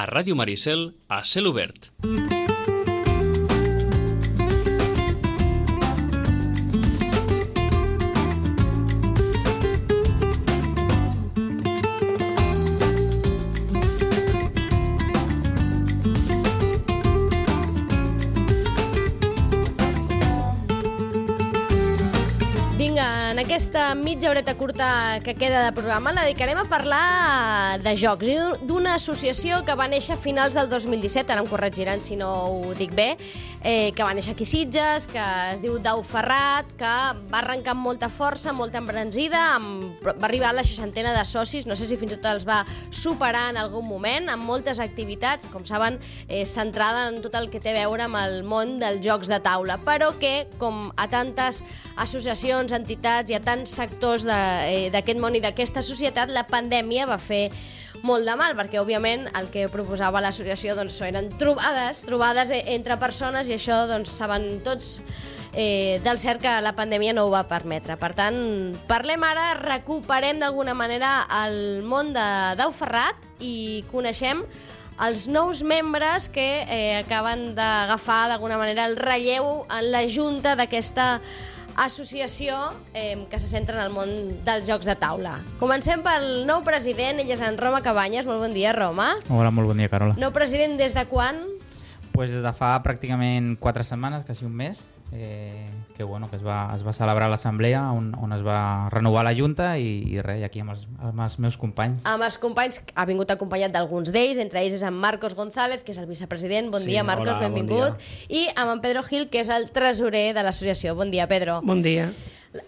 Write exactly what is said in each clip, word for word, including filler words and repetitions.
Ràdio Maricel, a cel obert. En aquesta mitja horeta curta que queda de programa la dedicarem a parlar de jocs i d'una associació que va néixer a finals del dos mil disset, ara em corregiran si no ho dic bé, eh, que va néixer aquí a Sitges, que es diu Dau Ferrat, que va arrencar amb molta força, molta embranzida, amb, va arribar a la seixantena de socis, no sé si fins i tot els va superar en algun moment, amb moltes activitats, com saben, eh, centrada en tot el que té a veure amb el món dels jocs de taula, però que, com a tantes associacions, entitats i a tants sectors d'aquest món i d'aquesta societat, la pandèmia va fer molt de mal, perquè òbviament el que proposava l'associació doncs, eren trobades, trobades entre persones, i això doncs, saben tots eh, del cert que la pandèmia no ho va permetre. Per tant, parlem ara, recuperem d'alguna manera el món de Dau Ferrat i coneixem els nous membres que eh, acaben d'agafar d'alguna manera el relleu en la junta d'aquesta associació eh, que se centra en el món dels jocs de taula. Comencem pel nou president, ell és en Roma Cabanyes. Molt bon dia, Roma. Hola, molt bon dia, Carola. Nou president des de quan? Pues des de fa pràcticament quatre setmanes, quasi un mes, eh, que, bueno, que es va, es va celebrar l'assemblea on, on es va renovar la junta i, i res, aquí amb els, amb els meus companys. Amb els companys, ha vingut acompanyat d'alguns d'ells, entre ells és en Marcos González, que és el vicepresident. Bon sí, dia, Marcos, hola, benvingut. Bon dia. I amb en Pedro Gil, que és el tresorer de l'associació. Bon dia, Pedro. Bon dia.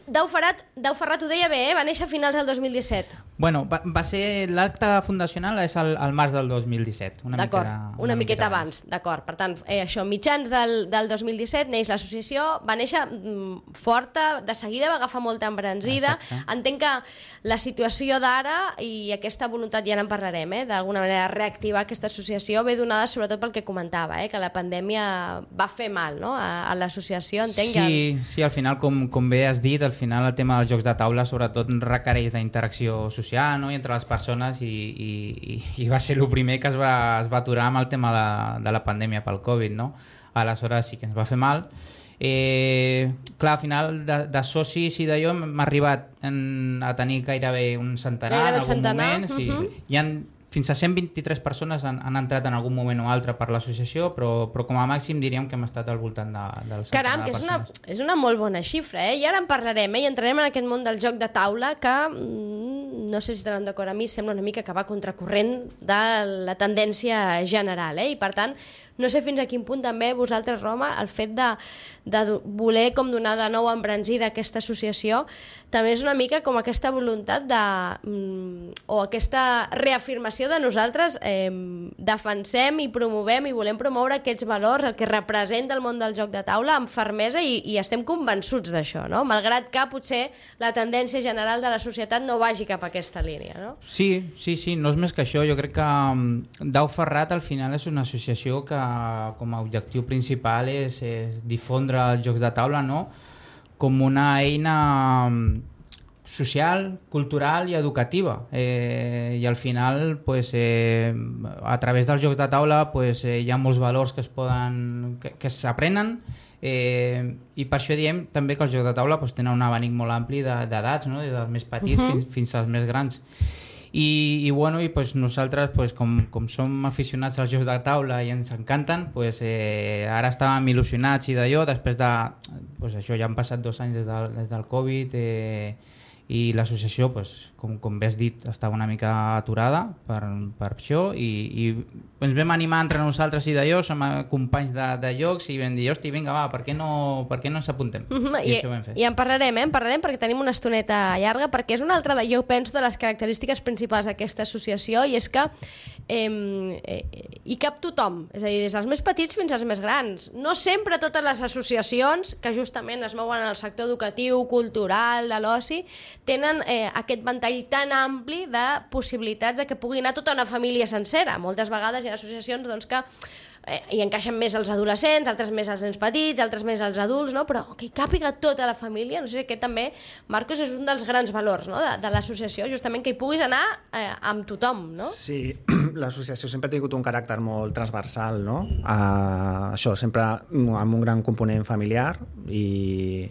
Dau Ferrat, Dau Ferrat ho deia bé, eh? Va néixer a finals del dos mil disset. Bueno, va, va ser l'acte fundacional és al, al març del dos mil disset. Una D'acord, miqueta, una, una miqueta, miqueta abans, abans. D'acord. Per tant, eh, això, mitjans del, del dos mil disset neix l'associació, va néixer mm, forta, de seguida va agafar molta embranzida. Exacte. Entenc que la situació d'ara i aquesta voluntat, ja en parlarem, eh, d'alguna manera reactivar aquesta associació ve donada sobretot pel que comentava, eh, que la pandèmia va fer mal, no?, a, a l'associació, entenc. Sí, que... sí, al final, com, com bé has dit, al final el tema dels jocs de taula sobretot requereix d'interacció social, no?, i entre les persones, i, i, i va ser el primer que es va, es va aturar amb el tema de, de la pandèmia pel Covid, no? Aleshores sí que ens va fer mal. Eh, clar, al final de, de socis i d'allò m'ha arribat en, a tenir gairebé un centenar gairebé en algun centenar. moment. Sí. Uh-huh. Hi ha fins a cent vint-i-tres persones han, han entrat en algun moment o altre per l'associació, però, però com a màxim diríem que hem estat al voltant de, del centenar. Caram, que de és una, persones. és una molt bona xifra, eh? I ara en parlarem, eh? I entrarem en aquest món del joc de taula que, mm, no sé si estaran d'acord amb mi, sembla una mica que va contracorrent de la tendència general, eh? I per tant, no sé fins a quin punt també vosaltres, Roma, el fet de, de voler com donar de nou embranzida a aquesta associació també és una mica com aquesta voluntat de, mm, o aquesta reafirmació de nosaltres eh, defensem i promovem i volem promoure aquests valors, el que representa el món del joc de taula amb fermesa i, i estem convençuts d'això, no? Malgrat que potser la tendència general de la societat no vagi cap a aquesta línia, no? Sí, sí, sí, no és més que això. Jo crec que um, Dau Ferrat al final és una associació que com a objectiu principal és, és difondre els jocs de taula, no?, com una eina social, cultural i educativa. Eh, I al final, pues, eh, a través dels jocs de taula, pues, eh, hi ha molts valors que es poden, que, que s'aprenen, eh, i per això diem també que els jocs de taula pues, tenen un abanic molt ampli d'edats, no?, des dels més petits uh-huh. fins, fins als més grans. I, i, bueno, i pues, nosaltres pues, com, com som aficionats als jocs de taula i ens encanten, pues, eh, ara estàvem il·lusionats i d'allò, després de pues, això ja han passat dos anys des del, des del Covid, eh, i l'associació, pues, com, com bé has dit, estava una mica aturada per, per això, i, i ens vam animar entre nosaltres i d'allò, som companys de, de jocs, i vam dir, hosti, vinga, va, per què no, per què no ens apuntem? Mm-hmm. I, I, això ho vam fer. I en parlarem, eh? En parlarem perquè tenim una estoneta llarga, perquè és una altra, de, jo penso, de les característiques principals d'aquesta associació, i és que eh, eh, hi cap tothom, és a dir, des dels més petits fins als més grans. No sempre totes les associacions que justament es mouen en el sector educatiu, cultural, de l'oci, tenen eh, aquest ventall tan ampli de possibilitats de que pugui anar tota una família sencera. Moltes vegades hi ha associacions doncs, que eh, hi encaixen més els adolescents, altres més els nens petits, altres més els adults, no? Però que hi càpiga tota la família, no sé, aquest també, Marcos, és un dels grans valors, no? de, de l'associació, justament que hi puguis anar eh, amb tothom, no? Sí, l'associació sempre ha tingut un caràcter molt transversal, no? Uh, això, sempre amb un gran component familiar i,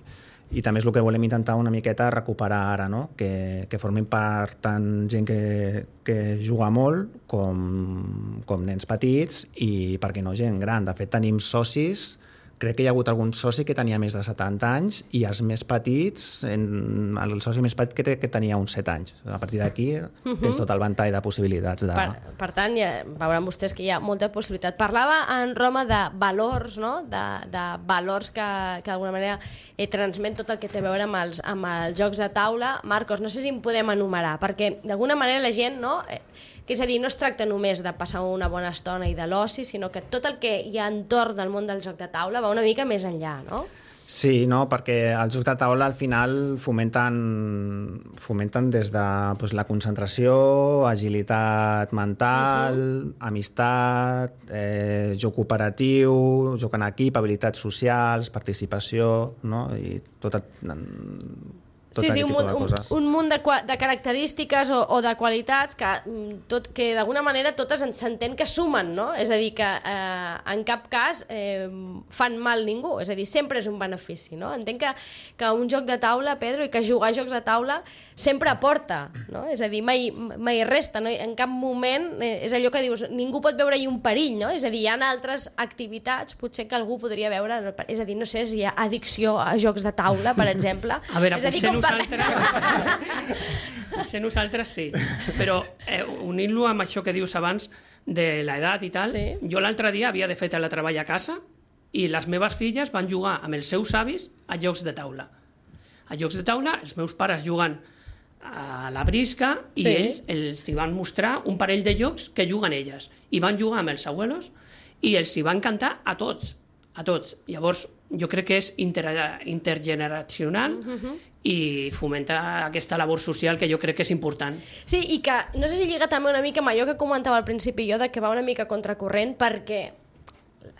i també és el que volem intentar una miqueta recuperar ara, no? Que, que formin part tant gent que, que juga molt com, com nens petits i, per què no, gent gran. De fet, tenim socis, crec que hi ha hagut algun soci que tenia més de setanta anys i els més petits, en, el soci més petit que, que tenia uns set anys. A partir d'aquí uh-huh. tens tot el ventall de possibilitats. De... Per, per tant, ja veuran vostès que hi ha molta possibilitat. Parlava en Roma de valors, no? de, de valors que, que d'alguna manera eh, transmet tot el que té a veure amb els, amb els jocs de taula. Marcos, no sé si en podem enumerar, perquè d'alguna manera la gent, no? Eh, que és a dir, no es tracta només de passar una bona estona i de l'oci, sinó que tot el que hi ha entorn del món del joc de taula va una mica més enllà, no? Sí, no, perquè els jocs de taula al final fomenten, fomenten des de doncs, la concentració, agilitat mental, uh-huh. amistat, eh, joc cooperatiu, joc en equip, habilitats socials, participació, no? I tot... Tot sí, sí, un, un, un munt de, de característiques o, o de qualitats que, tot, que d'alguna manera totes s'entén que sumen, no? És a dir, que eh, en cap cas eh, fan mal ningú, és a dir, sempre és un benefici, no? Entenc que, que un joc de taula, Pedro, i que jugar a jocs de taula sempre aporta, no? És a dir, mai, mai resta, no? En cap moment eh, és allò que dius, ningú pot veure-hi un perill, no? És a dir, hi ha altres activitats, potser que algú podria veure, és a dir, no sé si hi ha addicció a jocs de taula, per exemple. A veure, és a dir, com nosaltres, potser nosaltres sí, però eh, unint-lo amb això que dius abans de l'edat i tal, sí. Jo l'altre dia havia de fer teletreball a casa i les meves filles van jugar amb els seus avis a jocs de taula. A jocs de taula, els meus pares juguen a la brisca i sí. ells els hi van mostrar un parell de jocs que juguen elles i van jugar amb els abuelos i els hi van cantar a tots, a tots. Llavors, jo crec que és inter intergeneracional uh-huh. i fomenta aquesta labor social que jo crec que és important. Sí, i que no sé si lliga també una mica amb allò que comentava al principi jo, de que va una mica contracorrent, perquè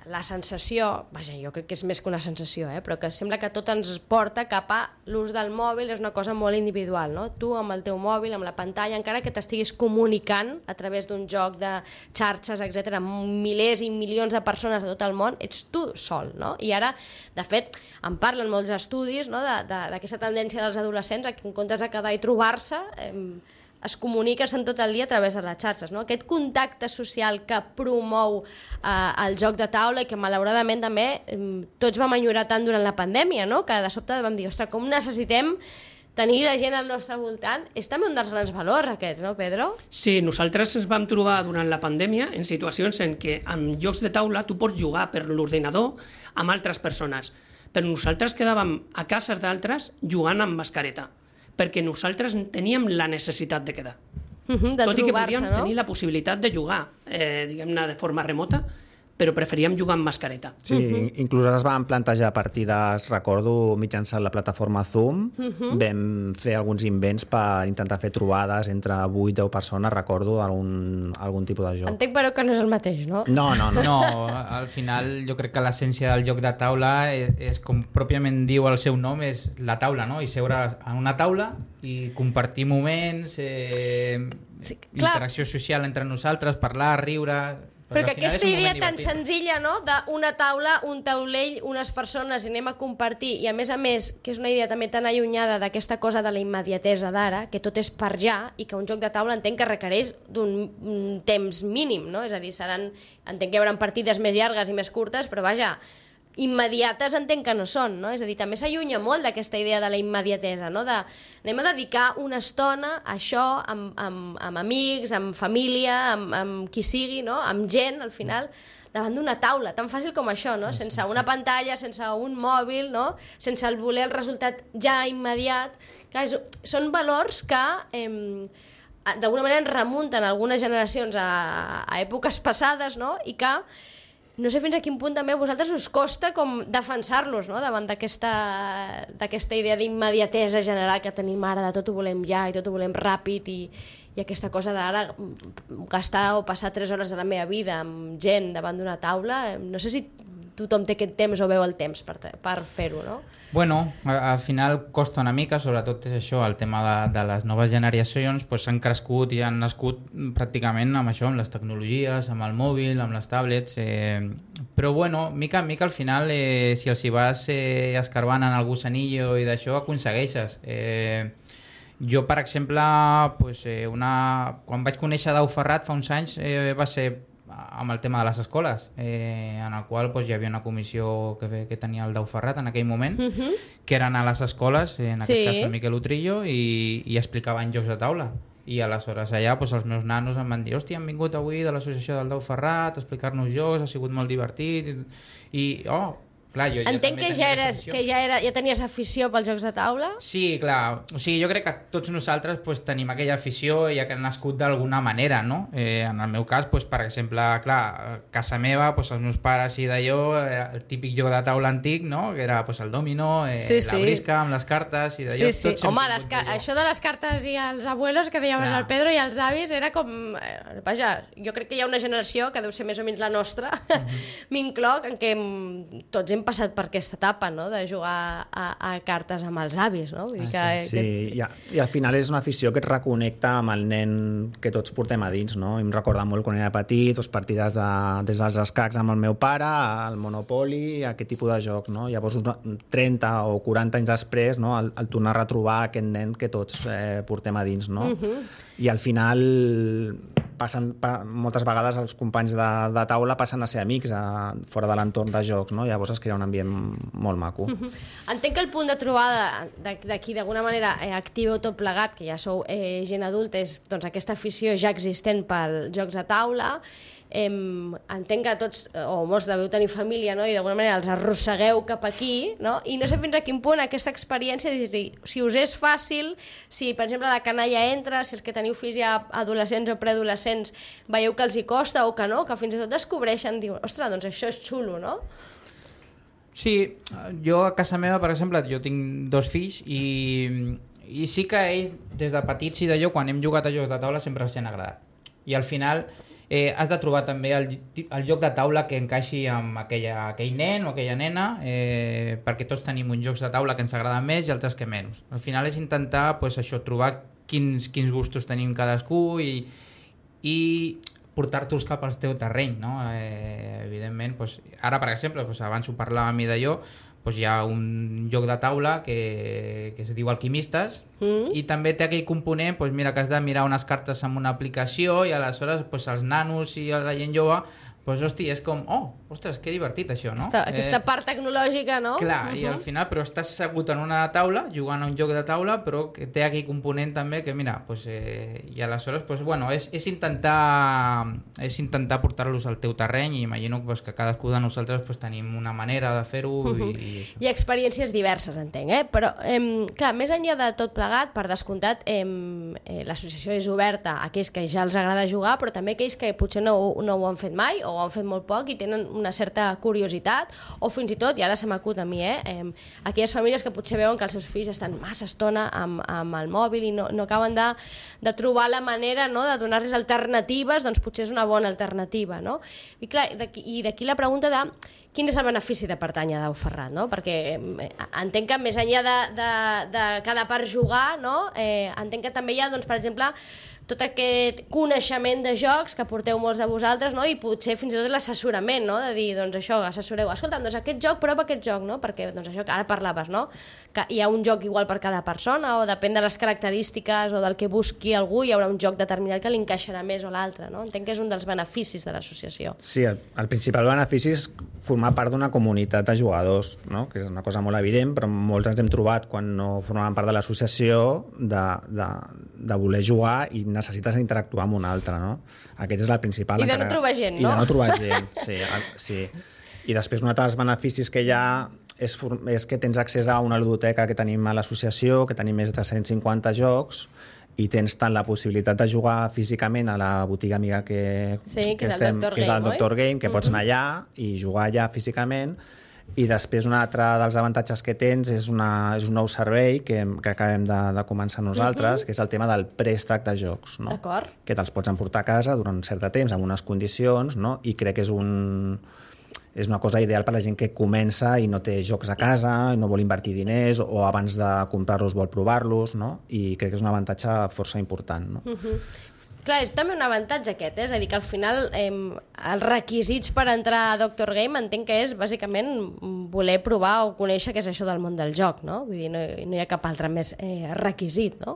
la sensació, vaja, jo crec que és més que una sensació, eh? Però que sembla que tot ens porta cap a l'ús del mòbil, és una cosa molt individual, no? Tu amb el teu mòbil, amb la pantalla, encara que t'estiguis comunicant a través d'un joc de xarxes, etcètera, amb milers i milions de persones de tot el món, ets tu sol, no? I ara, de fet, en parlen molts estudis, no? D'aquesta tendència dels adolescents a que en comptes de quedar i trobar-se, eh, es comuniquen tot el dia a través de les xarxes, no? Aquest contacte social que promou eh, el joc de taula i que malauradament també eh, tots vam enyorar tant durant la pandèmia, no? Que de sobte vam dir, ostres, com necessitem tenir la gent al nostre voltant, és també un dels grans valors aquests, no, Pedro? Sí, nosaltres ens vam trobar durant la pandèmia en situacions en què amb jocs de taula tu pots jugar per l'ordinador amb altres persones, però nosaltres quedàvem a cases d'altres jugant amb mascareta, perquè nosaltres teníem la necessitat de quedar. Uh-huh, de tot i que podíem no? tenir la possibilitat de jugar, eh, diguem-ne, de forma remota, però preferíem jugar amb mascareta. Sí, uh-huh. inclús es van plantejar partides, recordo, mitjançant la plataforma Zoom, uh-huh. vam fer alguns invents per intentar fer trobades entre vuit o deu persones, recordo, algun, algun tipus de joc. Entenc, però, que no és el mateix, no? No, no, no. No, al final jo crec que l'essència del joc de taula és, és, com pròpiament diu el seu nom, és la taula, no? I seure a una taula i compartir moments, eh, sí, interacció social entre nosaltres, parlar, riure... Però que aquesta idea tan senzilla, no?, d'una taula, un taulell, unes persones, i anem a compartir, i a més a més, que és una idea també tan allunyada d'aquesta cosa de la immediatesa d'ara, que tot és per ja, i que un joc de taula entenc que requereix d'un temps mínim, no? És a dir, seran, entenc que hi haurà partides més llargues i més curtes, però vaja, immediates entenc que no són, no? És a dir, també s'allunya molt d'aquesta idea de la immediatesa, no? De, anem a dedicar una estona a això amb, amb, amb amics, amb família, amb, amb qui sigui, no? Amb gent, al final, davant d'una taula, tan fàcil com això, no? Sense una pantalla, sense un mòbil, no? Sense el voler el resultat ja immediat. Clar, és, són valors que eh, d'alguna manera ens remunten algunes generacions a, a èpoques passades, no? I que no sé fins a quin punt també a vosaltres us costa com defensar-los, no? Davant d'aquesta d'aquesta idea d'immediatesa general que tenim ara, de tot ho volem ja i tot ho volem ràpid i, i i aquesta cosa d'ara gastar o passar tres hores de la meva vida amb gent davant d'una taula, no sé si tothom té aquest temps o veu el temps per, per fer-ho, no? Bueno, al final costa una mica, sobretot és això, el tema de, de les noves generacions, doncs han crescut i han nascut pràcticament amb això, amb les tecnologies, amb el mòbil, amb les tablets, eh, però bueno, mica en mica al final, eh, si els hi vas eh, escarbant en el gusanillo i d'això, aconsegueixes. Eh, jo, per exemple, pues, eh, una... quan vaig conèixer Dau Ferrat fa uns anys, eh, va ser amb el tema de les escoles, eh, en el qual pues, hi havia una comissió que, que tenia el Dau Ferrat en aquell moment, uh -huh. que eren a les escoles, en aquest sí. cas el Miquel Utrillo, i, i explicaven jocs de taula. I aleshores allà pues, els meus nanos em van dir, hòstia, han vingut avui de l'associació del Dau Ferrat a explicar-nos jocs, ha sigut molt divertit, i, i oh, clar, jo entenc ja que, ja, eres, que ja, era, ja tenies afició pels jocs de taula? Sí, clar. O sigui, jo crec que tots nosaltres pues, tenim aquella afició ja que ha nascut d'alguna manera, no? Eh, en el meu cas, pues, per exemple, clar, a casa meva, pues, els meus pares i d'allò, el típic joc de taula antic, no? Que era pues, el dominó, eh, sí, sí. la brisca amb les cartes i d'allò. Sí, sí. Home, les això de les cartes i els abuelos que dèiem el Pedro i els avis era com... Eh, vaja, jo crec que hi ha una generació que deu ser més o menys la nostra, mm-hmm. m'incloc, en què tots hem passat per aquesta etapa, no?, de jugar a, a cartes amb els avis, no? Vull dir que, ah, sí, que... I, i al final és una afició que et reconnecta amb el nen que tots portem a dins, no? I em recorda molt quan era petit, doncs partides de, des dels escacs amb el meu pare, el Monopoly, aquest tipus de joc, no? Llavors, trenta o quaranta anys després, no?, el, el tornar a retrobar aquest nen que tots eh, portem a dins, no? Uh-huh. I al final passen, pa, moltes vegades els companys de, de taula passen a ser amics a, fora de l'entorn de jocs, no? Llavors es crea un ambient molt maco. Uh-huh. Entenc que el punt de trobada d'aquí d'alguna manera eh, activeu tot plegat, que ja sou eh, gent adulta, és doncs, aquesta afició ja existent pels jocs de taula. Eh, entenc que tots o molts deveu tenir família, no? I d'alguna manera els arrossegueu cap aquí, no? I no sé fins a quin punt aquesta experiència, si us és fàcil, si per exemple la canalla entra, si els que teniu fills ja adolescents o preadolescents veieu que els hi costa o que no, que fins i tot descobreixen, diuen, ostres, doncs això és xulo, no? Sí, jo a casa meva, per exemple, jo tinc dos fills i, i sí que ells, des de petits i d'allò, quan hem jugat a jocs de taula sempre els han agradat. I al final eh, has de trobar també el, el joc de taula que encaixi amb aquella, aquell nen o aquella nena, eh, perquè tots tenim uns jocs de taula que ens agraden més i altres que menys. Al final és intentar pues, això, trobar quins, quins gustos tenim cadascú i, i portar-te'ls cap al teu terreny, no? Eh, evidentment, pues, ara per exemple, pues, abans ho parlàvem i d'allò, pues, hi ha un joc de taula que, que es diu Alquimistes mm. i també té aquell component pues, mira, que has de mirar unes cartes amb una aplicació i aleshores pues, els nanos i la gent jove pues, hosti, és com, oh, ostres, que divertit això, no? Aquesta, aquesta eh, part tecnològica, no? Clar, uh-huh. i al final, però estàs assegut en una taula, jugant a un joc de taula, però que té aquell component també que, mira, pues, eh, i aleshores, pues, bueno, és, és intentar és intentar portar-los al teu terreny i imagino pues, que cadascú de nosaltres pues, tenim una manera de fer-ho. Uh-huh. i, i Hi ha experiències diverses, entenc, eh? Però, eh, clar, més enllà de tot plegat, per descomptat, eh, eh, l'associació és oberta a aquells que ja els agrada jugar, però també aquells que potser no, no ho han fet mai o ho han fet molt poc i tenen una certa curiositat, o fins i tot, i ara se m'acut a mi, eh, eh, aquelles famílies que potser veuen que els seus fills estan massa estona amb, amb el mòbil i no, no acaben de, de trobar la manera, no?, de donar-los alternatives, doncs potser és una bona alternativa, no? I clar, i d'aquí la pregunta de quin és el benefici de pertànyer a Dau Ferrat, no? Perquè eh, entenc que més enllà de, de, de cada part jugar, no?, eh, entenc que també hi ha, doncs, per exemple, tot aquest coneixement de jocs que porteu molts de vosaltres, no? I potser fins i tot l'assessorament, no?, de dir, doncs això, assessoreu, escolta'm, doncs aquest joc, prova aquest joc, no? Perquè, doncs això que ara parlaves, no?, que hi ha un joc igual per cada persona o depèn de les característiques o del que busqui algú, hi haurà un joc determinat que li encaixarà més o l'altre, no? Entenc que és un dels beneficis de l'associació. Sí, el, el principal benefici és formar part d'una comunitat de jugadors, no?, que és una cosa molt evident, però molts ens hem trobat quan no formàvem part de l'associació de, de, de voler jugar i necessites interactuar amb un altre, no? Aquest és el principal. I de no encara... trobar gent, no? I de no trobar gent, sí, sí. I després un altre dels beneficis que hi ha és, és que tens accés a una ludoteca que tenim a l'associació, que tenim més de cent cinquanta jocs, i tens tant la possibilitat de jugar físicament a la botiga amiga que, sí, que, que, és, estem, el que és el Doctor Game, Game, que pots anar allà i jugar allà físicament, I després un altre dels avantatges que tens és, una, és un nou servei que, que acabem de, de començar nosaltres, uh-huh. que és el tema del préstec de jocs, no? D'acord. Que te'ls pots emportar a casa durant un cert temps, amb unes condicions, no? I crec que és, un, és una cosa ideal per a la gent que comença i no té jocs a casa, i no vol invertir diners, o abans de comprar-los vol provar-los, no? I crec que és un avantatge força important, no? Uh-huh. Clar, és també un avantatge aquest, eh? És a dir, que al final eh, els requisits per entrar a Doctor Game entenc que és bàsicament voler provar o conèixer què és això del món del joc, no? Vull dir, no, no hi ha cap altre més eh, requisit, no?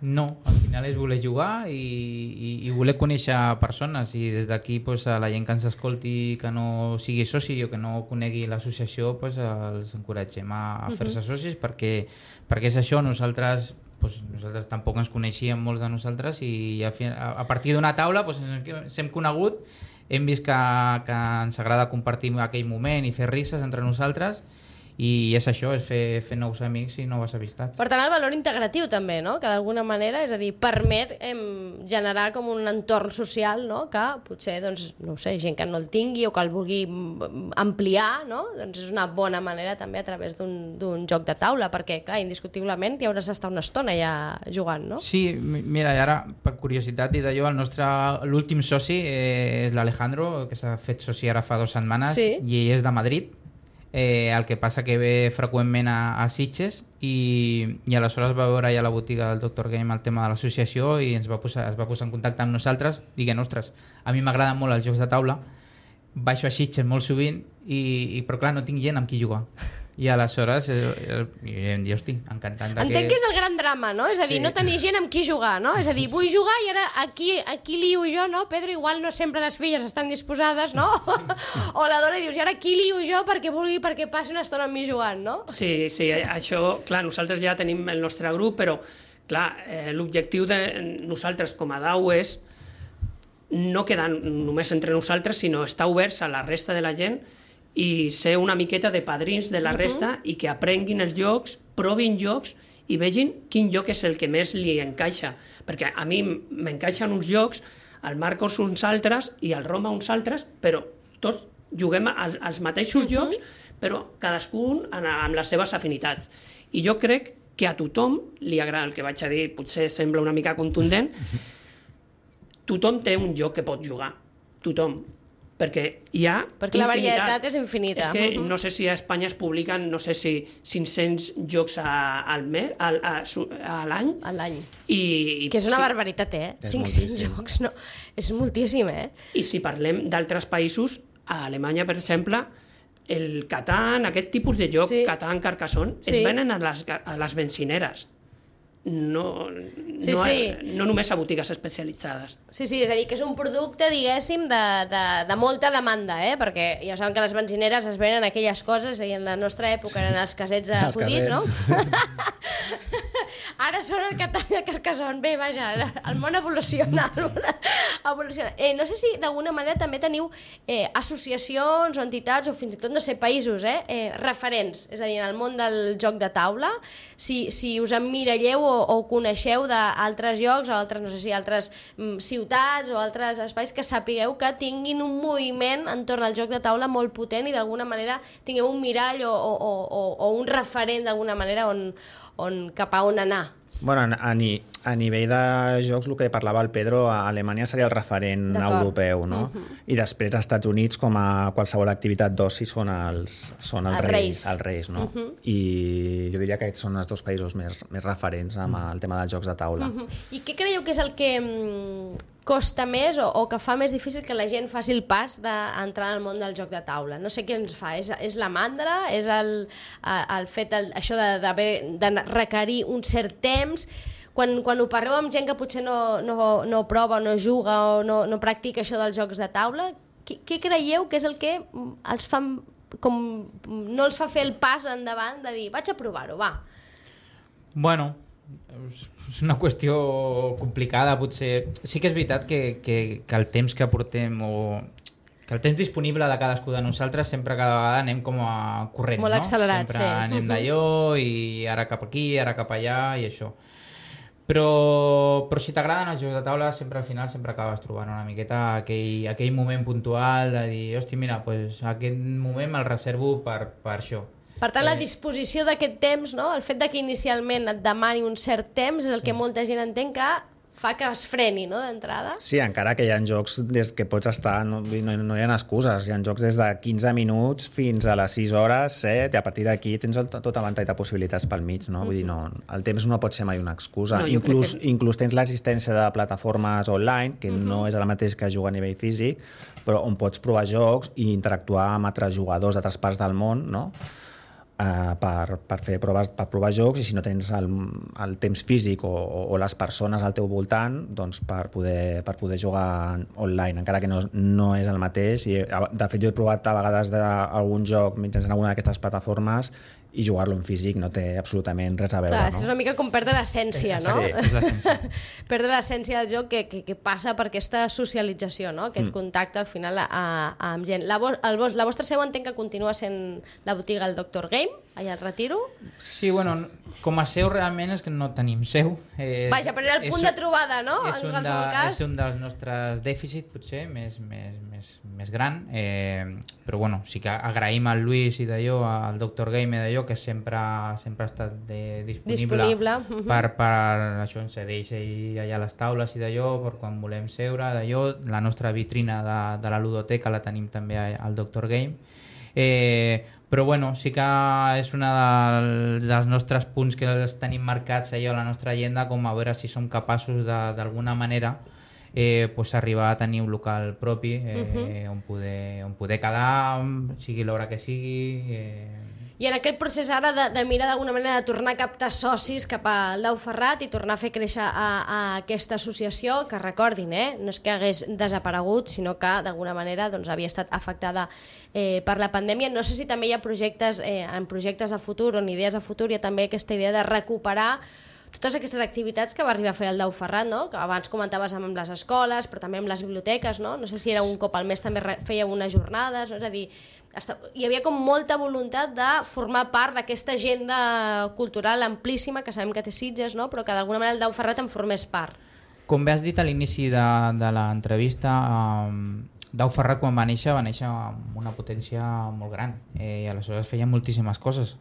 No, al final és voler jugar i, i, i voler conèixer persones, i des d'aquí pues, a la gent que ens escolti que no sigui soci o que no conegui l'associació, pues, els encoratgem a, a fer-se socis, perquè, perquè és això, nosaltres pues, nosaltres tampoc ens coneixíem molts de nosaltres i a, a partir d'una taula pues, ens hem conegut, hem vist que, que ens agrada compartir aquell moment i fer risses entre nosaltres, i és això, és fer, fer nous amics i noves amistats. Per tant, el valor integratiu també, no? Que d'alguna manera, és a dir, permet em, generar com un entorn social, no? Que potser, doncs, no ho sé, gent que no el tingui o que el vulgui ampliar, no? Doncs és una bona manera també a través d'un joc de taula, perquè, clar, indiscutiblement hi hauràs d'estar una estona ja jugant, no? Sí, mira, i ara, per curiositat i d'allò, el nostre, l'últim soci eh, és l'Alejandro, que s'ha fet soci ara fa dues setmanes, sí. I és de Madrid. Eh, el que passa que ve freqüentment a, a Sitges i, i aleshores va veure ja a la botiga del Doctor Game el tema de l'associació i ens va posar, es va posar en contacte amb nosaltres, diguent, ostres, a mi m'agraden molt els jocs de taula, baixo a Sitges molt sovint i, i però clar, no tinc gent amb qui jugar. I aleshores eh, eh, jo estic encantant de entenc que... que és el gran drama, no? És a dir, sí. No tenir gent amb qui jugar, no? És a dir, vull jugar i ara aquí, aquí lio jo, no? Pedro, igual no sempre les filles estan disposades, no? O la dona dius, i ara aquí lio jo perquè vulgui, perquè passi una estona amb mi jugant, no? Sí, sí, això, clar, nosaltres ja tenim el nostre grup, però, clar, eh, l'objectiu de nosaltres com a D A U és no quedar només entre nosaltres, sinó estar oberts a la resta de la gent i ser una miqueta de padrins de la resta uh-huh. i que aprenguin els jocs, provin jocs i vegin quin joc és el que més li encaixa. Perquè a mi m'encaixen uns jocs, al Marcos uns altres i al Roma uns altres, però tots juguem als, als mateixos uh-huh. jocs, però cadascun amb les seves afinitats. I jo crec que a tothom li agrada, el que vaig a dir potser sembla una mica contundent, tothom té un joc que pot jugar, tothom. Perquè hi ha perquè la infinitat. Varietat és infinita. És que uh-huh. no sé si a Espanya es publiquen, no sé si cinc-cents jocs a, al mes, al, a, a l'any. A l'any. I, que és una sí, barbaritat, eh? cinc-cents jocs, no? És moltíssim, eh? I si parlem d'altres països, a Alemanya, per exemple, el Catan, aquest tipus de joc, sí. Catan, Carcassonne, sí. Es venen a les, a les bencineres. No, sí, no, sí. no només a botigues especialitzades. Sí, sí, és a dir, que és un producte, diguéssim, de, de, de molta demanda, eh? Perquè ja saben que les benzineres es venen aquelles coses, i en la nostra època eren els casets acudits, no? Ara són el Catan i el Carcassonne. Bé, vaja, el món evoluciona. El món evoluciona. Eh, no sé si d'alguna manera també teniu eh, associacions o entitats, o fins i tot, no sé, països, eh, eh, referents, és a dir, en el món del joc de taula, si, si us emmiralleu o o coneixeu d'altres llocs o altres, no sé si altres mm, ciutats o altres espais que sapigueu que tinguin un moviment entorn al joc de taula molt potent i d'alguna manera tingueu un mirall o, o, o, o un referent d'alguna manera on, on, cap a on anar. Bueno, a, ni, a nivell de jocs, el que parlava el Pedro, a Alemanya seria el referent europeu, no? Uh-huh. I després als Estats Units, com a qualsevol activitat d'oci, són els, són els, els reis, reis. Els reis, no? Uh-huh. I jo diria que aquests són els dos països més, més referents amb el tema dels jocs de taula. Uh-huh. I què creieu que és el que mm, costa més o, o que fa més difícil que la gent faci el pas d'entrar al món del joc de taula? No sé què ens fa. És, és la mandra? És el, el fet, el, això de, de, de requerir un cert temps? Quan, quan ho parleu amb gent que potser no, no, no prova o no juga o no, no practica això dels jocs de taula, què, què creieu que és el que els fa, com, no els fa fer el pas endavant de dir, vaig a provar-ho, va? Bueno, és una qüestió complicada, potser. Sí que és veritat que, que, que el temps que portem o que el temps disponible de cadascú de nosaltres sempre cada vegada anem com a corrent, molt no? accelerat, sempre sí. anem d'allò i ara cap aquí, ara cap allà i això. Però, però si t'agraden els jocs de taula, sempre al final sempre acabes trobant una miqueta aquell, aquell moment puntual de dir, hòstia, mira, pues, aquest moment me'l reservo per, per això. Per tant, la disposició d'aquest temps, no? El fet de que inicialment et demani un cert temps és el sí. que molta gent entén que fa que es freni, no?, d'entrada. Sí, encara que hi ha jocs des que pots estar... No, no, no hi ha excuses. Hi ha jocs des de quinze minuts fins a les sis hores, set, i a partir d'aquí tens el, tot el ventall de possibilitats pel mig, no? Mm-hmm. Vull dir, no, el temps no pot ser mai una excusa. No, inclús, que... inclús tens l'existència de plataformes online, que mm-hmm. no és el mateix que jugar a nivell físic, però on pots provar jocs i interactuar amb altres jugadors d'altres parts del món, no?, Uh, per, per fer proves, per provar jocs, i si no tens el, el temps físic o, o, o les persones al teu voltant, doncs per poder, per poder jugar online, encara que no, no és el mateix. I, de fet, jo he provat a vegades algun joc mitjançant alguna d'aquestes plataformes i jugar-lo en físic no té absolutament res a veure. Clar, no? És una mica com perdre l'essència, no? Sí, és l'essència. Perdre l'essència del joc que, que, que passa per aquesta socialització, no? Aquest mm. contacte al final a, a, amb gent. La, vo, el, la vostra seu entenc que continua sent la botiga el Doctor Game, allà al Retiro. Sí, bueno, com a seu realment és que no tenim seu. Eh, Vaja, però era el punt és, de trobada, no? És un, en de, cas. és un dels nostres dèficits, potser, més, més, més, més gran. Eh, però bueno, sí que agraïm al Lluís i d'allò, al Doctor Game i d'allò, que sempre, sempre ha estat de, disponible, disponible. Uh-huh. per, per això ens cedeix ell allà a les taules i d'allò, per quan volem seure, d'allò. La nostra vitrina de, de la ludoteca la tenim també al Doctor Game. Eh, però bueno, sí que és un de, dels nostres punts que els tenim marcats allò a la nostra agenda, com a veure si som capaços d'alguna manera eh, pues arribar a tenir un local propi eh, uh-huh. on, poder, on poder quedar, sigui l'hora que sigui. Eh... I en aquest procés ara de, de mirar d'alguna manera de tornar a captar socis cap al Dau Ferrat i tornar a fer créixer a, a aquesta associació, que recordin, eh, no és que hagués desaparegut, sinó que d'alguna manera doncs, havia estat afectada eh, per la pandèmia. No sé si també hi ha projectes, eh, en projectes de futur o en idees de futur, hi ha també aquesta idea de recuperar totes aquestes activitats que va arribar a fer el Dau Ferrat, no? Que abans comentaves amb les escoles, però també amb les biblioteques, no? No sé si era un cop al mes també feia unes jornades, no? És a dir, hi havia com molta voluntat de formar part d'aquesta agenda cultural amplíssima que sabem que té Sitges, no? Però que d'alguna manera el Dau Ferrat en formés part. Com bé has dit a l'inici de, de l'entrevista, eh, Dau Ferrat quan va néixer va néixer amb una potència molt gran eh, i aleshores feia moltíssimes coses.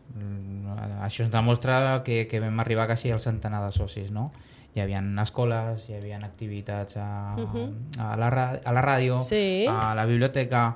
Això ens demostra que, que vam arribar quasi al centenar de socis, no? Hi havia escoles, hi havia activitats a, uh-huh. a, la, a la ràdio, sí. a la biblioteca,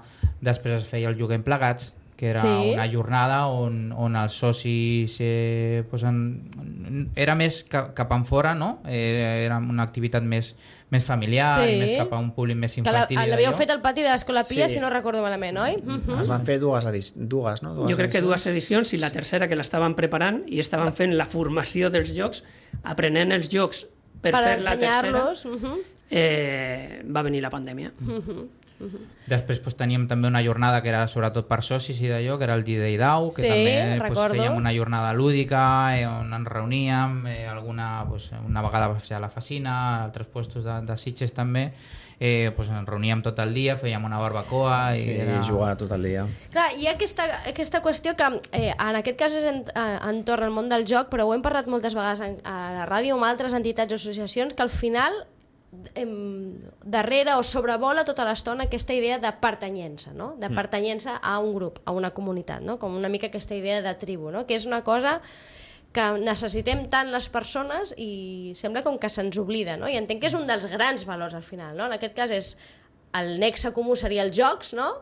després es feia el Juguem Plegats, que era sí. una jornada on, on els socis eh, pues en, era més cap, cap enfora, no? Eh, era una activitat més, més familiar, sí. més cap a un públic més infantil. Que l'havíeu fet al pati de l'Escola Pia, sí. si no recordo malament, oi? Uh-huh. Es van fer dues, dues no? Dues jo crec edicions. que dues edicions i la tercera que l'estaven preparant i estaven fent la formació dels jocs, aprenent els jocs per, per fer la tercera, uh-huh. eh, va venir la pandèmia. Uh-huh. Uh-huh. Després pues, teníem també una jornada que era sobretot per socis i d'allò, que era el D-Day Dau, que sí, també pues, fèiem una jornada lúdica eh, on ens reuníem, eh, alguna, pues, una vegada a la Facina, a altres puestos de, de Sitges també, eh, pues, ens reuníem tot el dia, fèiem una barbacoa i sí, era... jugar tot el dia. Clar, hi ha aquesta, aquesta qüestió que eh, en aquest cas és en, entorn al món del joc, però ho hem parlat moltes vegades en, a la ràdio amb altres entitats o associacions, que al final darrere o sobrevola tota l'estona aquesta idea de pertanyença, no? De pertanyença a un grup, a una comunitat, no? Com una mica aquesta idea de tribu, no? Que és una cosa que necessitem tant les persones i sembla com que se'ns oblida, no? I entenc que és un dels grans valors al final, no? En aquest cas és el nexe comú seria els jocs, no?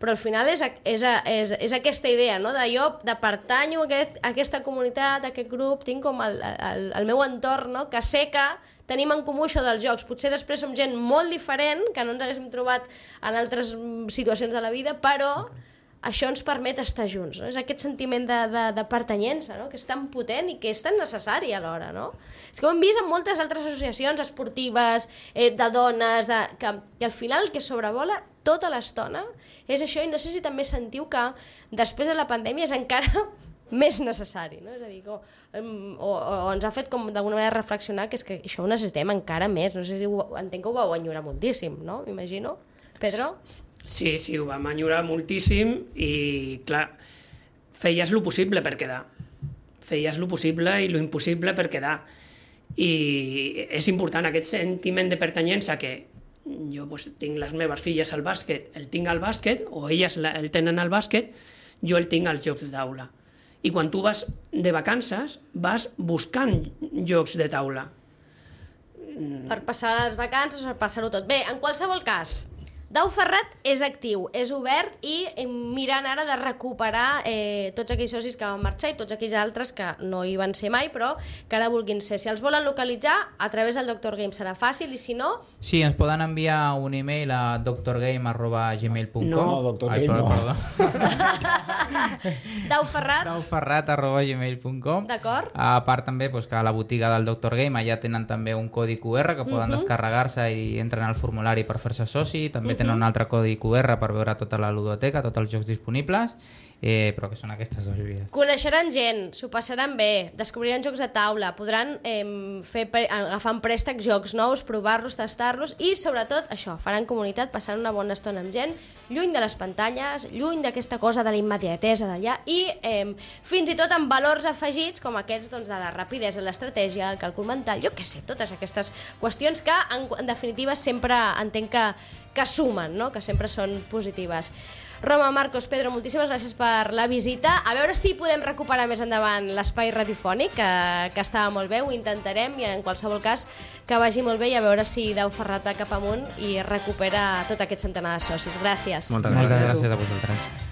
Però al final és, és, és, és aquesta idea, no? De jo de pertanyo a, aquest, a aquesta comunitat, a aquest grup, tinc com el, el, el meu entorn, no? Que sé que tenim en comú això dels jocs. Potser després som gent molt diferent, que no ens haguéssim trobat en altres situacions de la vida, però això ens permet estar junts, no? És aquest sentiment de, de, de pertanyença, no? Que és tan potent i que és tan necessari alhora, no? És que ho hem vist en moltes altres associacions esportives, eh, de dones, de, que, que al final el que sobrevola tota l'estona és això, i no sé si també sentiu que després de la pandèmia és encara més necessari, no? És a dir, o, o, o ens ha fet com d'alguna manera reflexionar que és que això ho necessitem encara més, no sé si ho, entenc que ho vau enyorar moltíssim, no? M'imagino. Pedro? Sí, sí, ho vam enyorar moltíssim i, clar, feies lo possible per quedar. Feies lo possible i lo impossible per quedar. I és important aquest sentiment de pertanyença que jo pues, tinc les meves filles al bàsquet, el tinc al bàsquet, o elles el tenen al bàsquet, jo el tinc als jocs de taula. I quan tu vas de vacances, vas buscant jocs de taula. Per passar les vacances, per passar-ho tot. Bé, en qualsevol cas, Dau Ferrat és actiu, és obert i mirant ara de recuperar eh, tots aquells socis que van marxar i tots aquells altres que no hi van ser mai, però que ara vulguin ser. Si els volen localitzar, a través del Doctor Game serà fàcil, i si no... Sí, ens poden enviar un email a doctorgame arroba gmail punt com. No, Doctor Game no. Dau Ferrat. Dau Ferrat arroba gmail punt com. D'acord. A part també pues, que a la botiga del Doctor Game allà tenen també un codi Q R que poden uh -huh. descarregar-se i entren al formulari per fer-se soci. També uh -huh. tenen un altre codi Q R per veure tota la ludoteca, tots els jocs disponibles, eh, però que són aquestes dues vies. Coneixeran gent, s'ho passaran bé, descobriran jocs de taula, podran eh, fer, agafar en préstec jocs nous, provar-los, tastar-los i, sobretot, això, faran comunitat, passaran una bona estona amb gent, lluny de les pantalles, lluny d'aquesta cosa de la immediatesa d'allà i eh, fins i tot amb valors afegits com aquests doncs, de la rapidesa, l'estratègia, el càlcul mental, jo què sé, totes aquestes qüestions que, en, en definitiva, sempre entenc que que sumen, no? Que sempre són positives. Roma, Marcos, Pedro, moltíssimes gràcies per la visita. A veure si podem recuperar més endavant l'espai radiofònic, que, que estava molt bé, ho intentarem, i en qualsevol cas que vagi molt bé i a veure si Dau Ferrat va cap amunt i recupera tot aquest centenar de socis. Gràcies. Moltes gràcies. gràcies. Moltes gràcies a vosaltres.